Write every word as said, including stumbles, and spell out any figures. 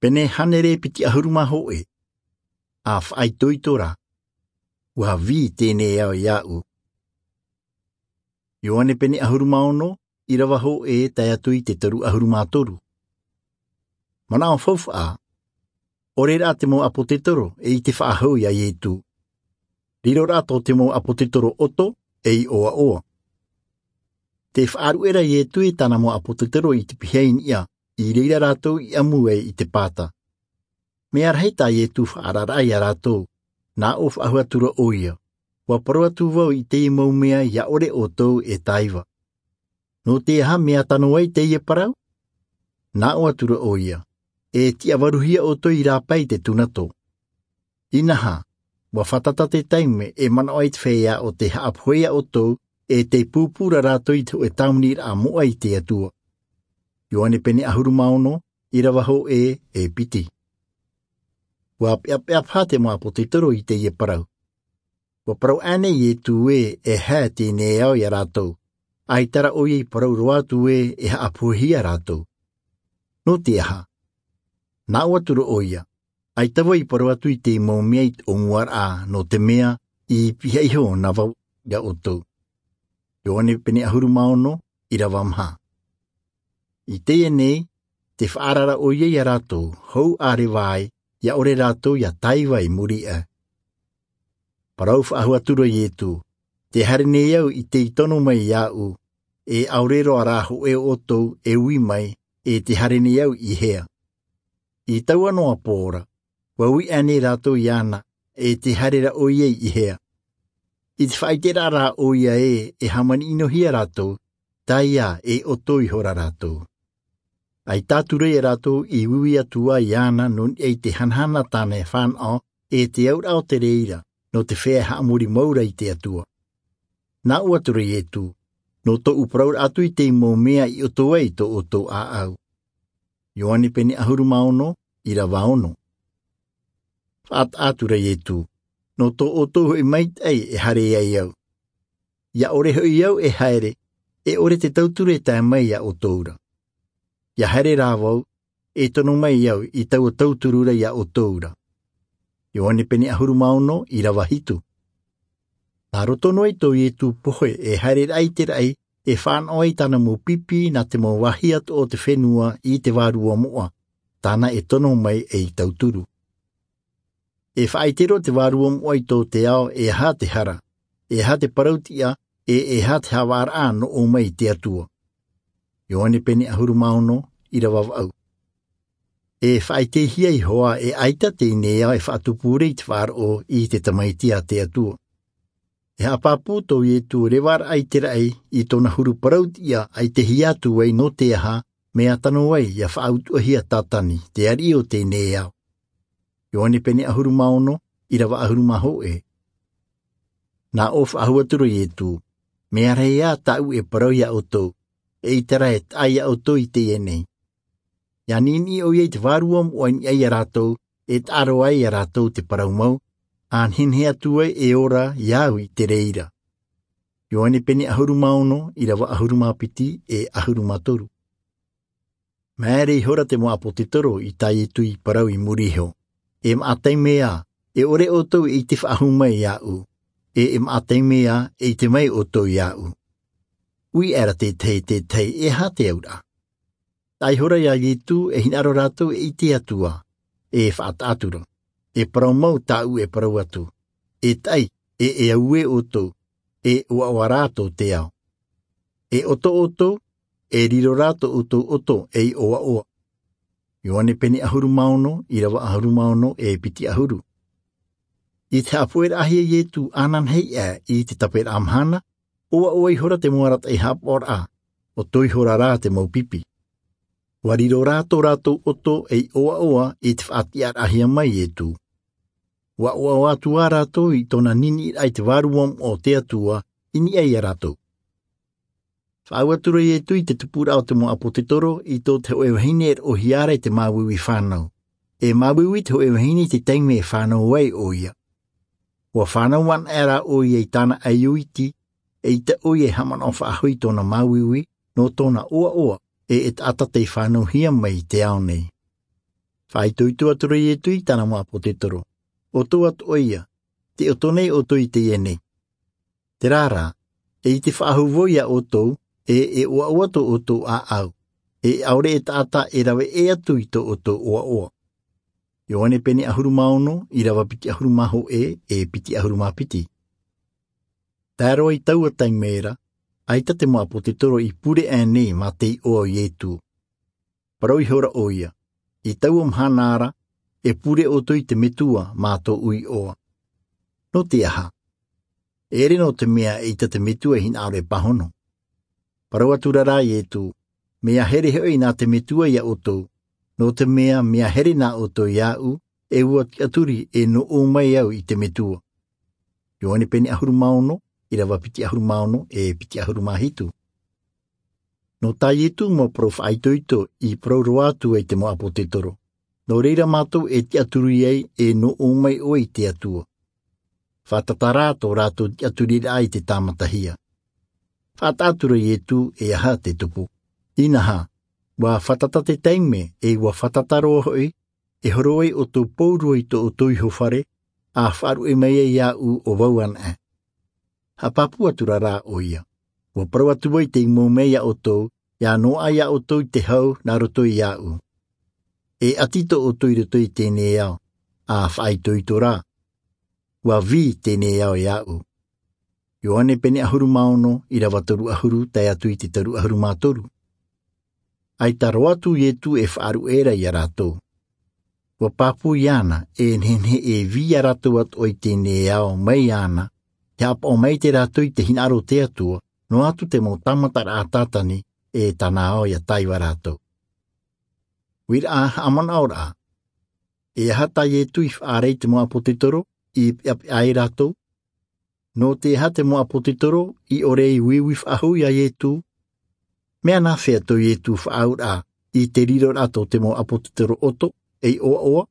Pene hānere piti ʻahuru mā hōʻē. A faʻaitoito rā. Ua vī teie nei ao iāʻu. Ioane pene ʻahuru mā ono, ʻīrava hōʻē tae atu i te toru ʻahuru mā toru. Manaʻo faufaʻa. ʻOre rā te mau ʻāpōsetolo e ʻite faʻahou iā Iesu. Riro rā tō te mau ʻāpōsetolo ʻoto ei ʻoaʻoa. Tē faʻaruʻe ra Iesu e tāna mau ʻāpōsetolo i te pihaʻi niʻa, i reira rātou i ʻamu ai i te pāta. Mea rahi tā Iesu faʻaararaʻa iā rātou, nā ʻō faʻahou atu ra ʻoia, ua parau atu vau i teie mau mea iā ʻore ʻoutou e tāiva. Nō te aha mea tano ai teie parau? Nā ʻō atu ra ʻoia, e tiʻavaruhia ʻoutou i rāpae i te tunato. Inaha, ua fātata te taime e manaʻo ai te feiā ʻo tē haʻapohe iā ʻoutou, e tē pūpū ra rātou i te hōʻē tāviniraʻa moʻa i te Atua. Ioane pene ʻahuru mā ono, ʻīrava hōʻē e piti. Ua peʻapeʻa paha te mau ʻāpōsetolo i teie parau. Ua parau ānei Iesu ē, e haere teie nei ao iā rātou, ʻaita rā ʻoia i parau roa atu ē e haʻapohehia rātou? Nō te aha? Nā ʻō atu ra ʻoia, ʻaita vau i parau atu i te mau mea i te ʻōmuaraʻa, nō te mea i pihaʻi iho na vau iā ʻoutou. Ioane pene ʻahuru mā ono, ʻīrava maha. I teie nei, tē faʻaara ra ʻoia iā rātou, hou ʻārevaʻa, iā ʻore rātou ia tāiva i muri aʻe. Parau faʻahou atu ra Iesu, tē haere nei au i tei tono mai iāʻu, e ʻaore roa rā hōʻē ʻoutou e ui mai, e tē haere nei au i hea. I taua noa pō ra, ua ui ānei rātou iāna, e tē haere ra ʻoia i hea. I te faʻaʻiteraʻa rā ʻoia ē e hāmani ʻinohia rātou, tae ā e ʻoto ihora rātou. ʻAita atu ra iā rātou i uiui atu ā iāna nō niʻa i te hanahana tāna e fānaʻo, e te auraʻa o te reira, nō te feiā e haʻamori mau ra i te Atua. Nā ʻō atu ra Iesu, nō tōʻu parauraʻa atu i te mau mea i ʻoto ai tō ʻoutou ʻāʻau. Ioane pene ʻahuru mā ono, ʻīrava ono. Faʻataʻa atu ra Iesu, nō tō ʻoutou hoʻi maitaʻi e haere ai au. Ia ʻore hoʻi au e haere, e ʻore te tauturu e tae mai iā ʻoutou ra. Ia haere rā vau, e tono mai au i taua tauturu ra iā ʻoutou ra. Ioane pene ʻahuru mā ono, ʻīrava hitu. Nā roto noa i tō Iesu pohe e haereraʻa i te raʻi, e fānaʻo ai tāna mau pipi nā te mau vāhi atoʻa o te fenua i te Vārua Moʻa, tāna e tono mai ei tauturu. E faʻaʻite roa te Vārua Moʻa i tō te ao e aha te hara, e aha te parautiʻa, e e aha te haʻavāraʻa nō ʻō mai i te Atua. Ioane pene ʻahuru mā ono, ʻīrava vaʻu. E faʻaʻitehia iho ā e ʻaita teie nei ao e faʻatupu ra i te faʻaroʻo i te Tamaiti a te Atua. E haʻapāpū tō Iesu revaraʻa i te raʻi i tōna huru parautiʻa ʻaitehia atu ai nō te aha, mea tano ai ia faʻautuʻahia Satani, te ariʻi o teie nei ao. Ioane pene ʻahuru mā ono, ʻīrava ʻahuru mā hōʻē. Nā ʻō faʻahou atu ra Iesu, mea rahi ā tāʻu e parau iā ʻoutou, eʻita rā e taʻa iā ʻoutou i teie nei. Ia niʻiniʻi ʻoia i te Vārua Moʻa i niʻa iā rātou, e taʻa roa ai iā rātou te parau mau, ʻa nehenehe atu ai e ora iā au i te reira. Ioane pene ʻahuru mā ono, ʻīrava ʻahuru mā piti e ʻahuru mā toru. Māere ihora te mau ʻāpōsetolo i tā Iesu i parau i muri iho. E maʻa taime ā, e ʻore ʻoutou e ʻite faʻahou mai iāʻu, e e maʻa taime ā, e ʻite mai ʻoutou iāʻu. Ui aʻera te tahi, te tahi, e aha te auraʻa? Tae ihora iā Iesu e hinaʻaro rātou e ʻite atu ā, e faʻataʻa atu ra. E parau mau tāʻu e parau atu. E taʻi, e e auē ʻoutou, e ʻoaʻoa rā tō te ao. E ʻoto ʻoutou, e riro rā tō ʻoutou ʻoto ei ʻoaʻoa. Ioane pene ʻahuru mā ono, ʻīrava ʻahuru mā ono e piti ʻahuru. I te haʻapoʻeraʻahia Iesu ananahi aʻe i te taperaʻa mahana, ʻoaʻoa ihora te mau arataʻi haʻapaʻoraʻa, ʻoto ihora rā te mau pipi. Ua riro rā tō rātou ʻoto ei ʻoaʻoa i te faʻatiʻaraʻahia mai Iesu. Ua ʻoaʻoa atu ā rātou i tōna niʻiniʻiraʻa i te Vārua Moʻa o te Atua i niʻa iā rātou. Faʻaau atu ra Iesu i te tupuraʻa o te mau ʻāpōsetolo i tō te hōʻē vahine e roʻohia ra i te māuiui fānau. E māuiui te hōʻē vahine i te taime e fānau ai ʻoia. Ua fānau anaʻe rā ʻoia i tāna ʻaiū iti, eʻita ʻoia e haʻamanaʻo faʻahou i tōna māuiui, nō tōna ʻoaʻoa, e e taʻata tei fānauhia mai i te ao nei. Faʻaitoito atu ra iesu i tāna mau ʻāpōsetolo, ʻoutou atoʻa ia, te oto nei ʻoutou i teie nei. Terā rā, e i te faʻahou vau iā ʻoutou, e e ʻoaʻoa tō ʻoutou ʻāʻau, e ʻaore e taʻata e rave ʻē atu i tō ʻoutou ʻoaʻoa. Ioane pene ʻahuru mā ono, ʻirava piti ʻahuru mā hōʻē, e piti ʻahuru mā piti. Tae roa i taua taime ra, ʻaita te mau ʻāpōsetolo i pure aʻe nei mā te iʻoa o iesu. Parau ihora ʻoia, i taua mahana ra, e pure ʻoutou i te metua mā tōʻu iʻoa. Nō te aha? E ʻere nō te mea e ʻita te metua i hinaʻaro e pāhono. Parau atu ra rā iesu, mea here hoʻi nā te metua iā ʻoutou, nō te mea mea here nā ʻoutou iāʻu, e ua tiʻaturi e nō ʻō mai au i te metua. Ioane pene ʻahuru mā ono, ʻirava piti ʻahuru mā ono, e piti ʻahuru mā hitu. Nō tā iesu mau parau faʻaitoito i parau roa atu ai te mau ʻāpōsetolo, nō reira mātou e tiʻaturi ai e nō ʻō mai ʻoe i te atua. Faʻatata rā tō rātou tiʻaturiraʻa i te tāmatahia. Faʻataʻa atu ra iesu, e aha te tupu? Inaha, ua faʻatata te taime, e ua faʻatata roa hoʻi, e horo ai ʻoutou pauroa i tō ʻoutou iho fare, a faʻaruʻe mai ai iāʻu ʻo vau anaʻe. Haʻapāpū atu ra rā ʻoia, ua parau atu vau i te mau mea iā ʻoutou, ia noaʻa iā ʻoutou i te hau nā roto iāʻu. E ʻati tō ʻoutou i roto i teie nei ao, a faʻaitoito rā, ua vī teie nei ao iāʻu. Ioane pene ʻahuru mā ono, ʻirava toru ʻahuru tae atu i te toru ʻahuru mā toru. ʻAita roa atu iesu e faʻaruʻe ra iā rātou. Ua pāpū iāna, e nehenehe e vī iā rātou atoʻa i teie nei ao mai iāna, e haʻapaʻo maite rātou i te hinaʻaro o te atua, noa atu te mau tāmataraʻa tātani, e tāna ao ia tae iā rātou. Uiraʻa, haʻamanaʻoraʻa. E aha tā iesu i faʻaara i te mau ʻāpōsetolo, i peʻapeʻa ai rātou? Nō te aha te mau ʻāpōsetolo i ʻore i uiui faʻahou iā iesu? Mea nāfea tō iesu faʻaauraʻa i te riroraʻa tō te mau ʻāpōsetolo ʻoto, ei ʻoaʻoa?